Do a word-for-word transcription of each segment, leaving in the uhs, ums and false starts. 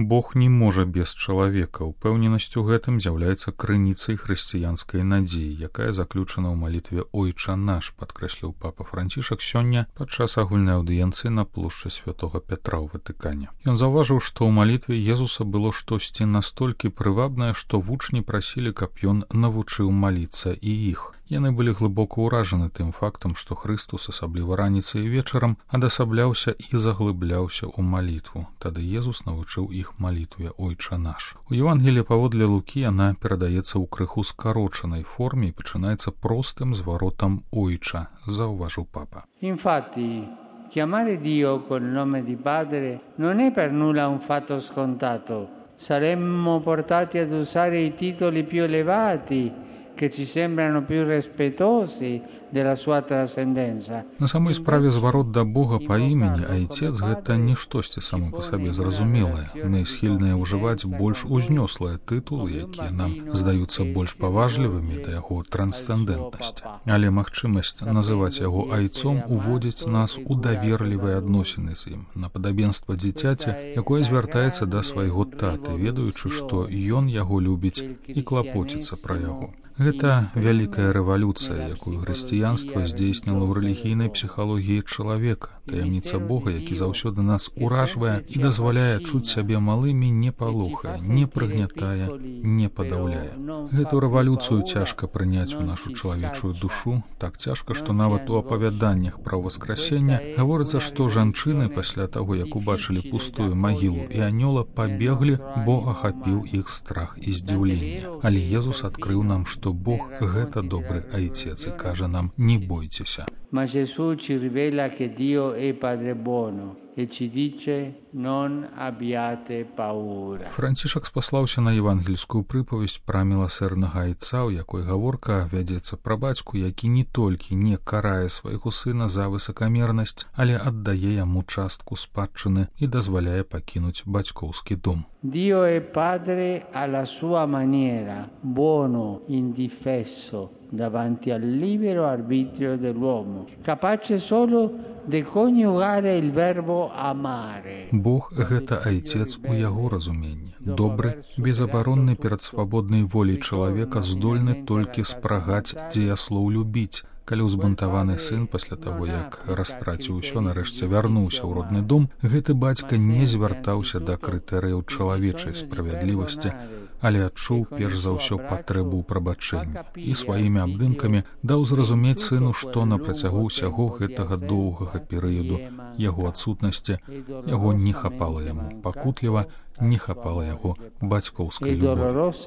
Бог не можа без чалавека. Упэўненасць у гэтым з'яўляецца крыніцай хрысціянскай надзеі, якая заключана ў малітве «Ойча наш», падкрэсліў папа Францішак сёння падчас агульнай аўдыенцыі на плошчы святога Пятра ў Ватыкане. Ён заўважыў, што ў малітве Езуса было штосьці настолькі прывабнае, што вучні прасілі, каб ён навучыў маліцца і іх. Яны былі глыбока ўражаны тым фактам, што Хрыстус, асабліва раніцай і вечарам, адасабляўся і заглыбляўся ў малітву. Тады Езус навучыў іх малітве «Ойча наш». У Евангеліі паводле Лукі яна перадаецца ў крыху скарочанай форме і пачынаецца простым зваротам «Ойча», заўважыў папа. Infatti, chiamare Dio col nome di Padre non è per nulla un fatto scontato. Saremmo portati ad usare i titoli più elevati che ci sembrano più rispettosi della sua trascendenza. На самой справе зварот да Бога па імені Айцец гэта не штосьці само па сабе зразумелае. Мы схільныя ўжываць больш узнёслыя тытулы, якія нам здаюцца больш паважлівымі да яго трансцэндэнтнасці. Але магчымасць называць яго Айцом уводзіць нас у даверлівыя адносіны з ім, на падабенства дзіцяці, якое звяртаецца да свайго таты, ведаючы, што ён яго любіць і клапоціцца пра яго. Гэта вялікая рэвалюцыя, якую хрысціянства здзейсніла ў рэлігійнай псіхалогіі чалавека. Таямніца Бога, які заўсёды нас уражвае і дазваляе чуць сябе малымі, не палохае, не прыгнятае, не падаўляе. Гэту рэвалюцыю цяжка прыняць у нашу чалавечую душу, так цяжка, што нават у апавяданнях пра васкрасенне гаворыцца, што жанчыны пасля таго, як убачылі пустую магілу і анёла, пабеглі, бо ахапіў іх страх і здзіўленне. Але Езус адкрыў нам, што Бог – гэта добры Айцец і кажа нам «не бойцеся». Ma Gesù ci rivela che Dio è Padre buono e ci dice non abbiate paura. Францішак спаслаўся на евангельскую прыпавесць пра міласэрнага Айца, у якой гаворка вядзецца пра бацьку, які не толькі не карае свайго сына за высакамернасць, але аддае яму частку спадчыны і дазваляе пакінуць бацькоўскі дом. Dio è Padre alla sua maniera, buono, indifesso, davanti al libero arbitrio dell'uomo, capace solo di coniugare il verbo amare. Бог – гэта Айцец у яго разуменні. Добры, безабаронны перад свабоднай воляй чалавека, здольны толькі спрагаць дзеяслоў любіць. Калі ўзбунтаваны сын пасля таго, як растраціў усё, нарэшце вярнуўся ў родны дом, гэты бацька не звяртаўся да крытэрыяў чалавечай справядлівасці, але адчуў перш за ўсё патрэбу ў прабачэнні і сваімі абдымкамі даў зразумець сыну, што на працягу ўсяго гэтага доўгага перыяду яго адсутнасці яго не хапала яму пакутліва, не хапала яго бацькоўскай любові.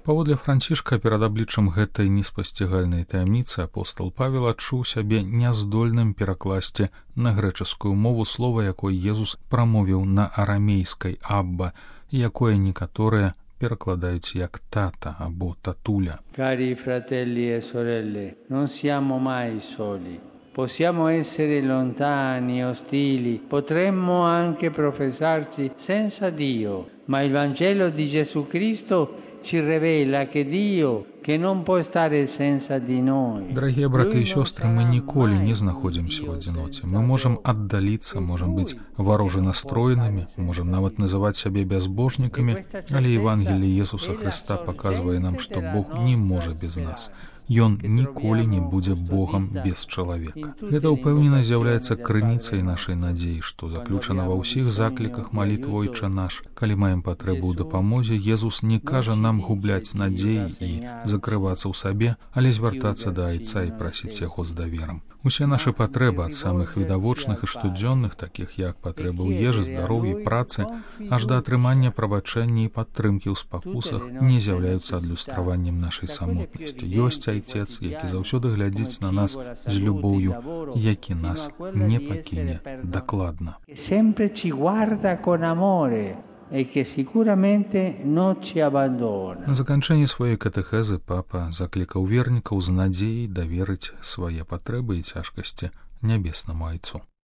Паводле Францішка, перад абліччам гэтай неспасцігальнай таямніцы апостал Павел адчуў сябе няздольным перакласці на грэчаскую мову слова, якое Езус прамовіў на арамейскай «абба», і якое некаторыя перакладаюць як «тата» або «татуля». Cari fratelli e sorelle, non siamo mai soli. Possiamo essere lontani, ostili, potremmo anche professarci senza Dio, ma il Vangelo di Gesù Cristo ci rivela che Dio, che non può stare senza di noi. Дорогие браты и сестры, мы николи не находимся в одиноте. Мы можем отдалиться, можем быть вороже настроенными, можем нават называть себя безбожниками, але Евангелие Иисуса Христа показывает нам, что Бог не может без нас. Ён ніколі не будзе Богам без чалавека. Гэта ўпэўненасць з'яўляецца крыніцай нашай надзеі, што заключана ва ўсіх закліках малітвы «Ойча наш». Калі маем патрэбу ў дапамозе, Езус не кажа нам губляць надзеі і закрывацца ў сабе, але звяртацца да Айца і прасіць яго з даверам. Усе нашы патрэбы, ад самых відавочных і штодзённых, такіх як патрэбы ў ежы, здароўі, працы, аж да атрымання прабачэння і падтрымкі ў спакусах, не з'яўляюцца адлюстраваннем нашай самотнасці. Ёсць Айцец, які заўсёды глядзіць на нас з любоўю, які нас не пакіне дакладна. Sempre ci guarda con amore. E che sicuramente non ci abbandona. На заканчэнні сваёй катэхезы папа заклікаў вернікаў з надзеяй даверыць свае патрэбы і цяжкасці нябеснаму Айцу.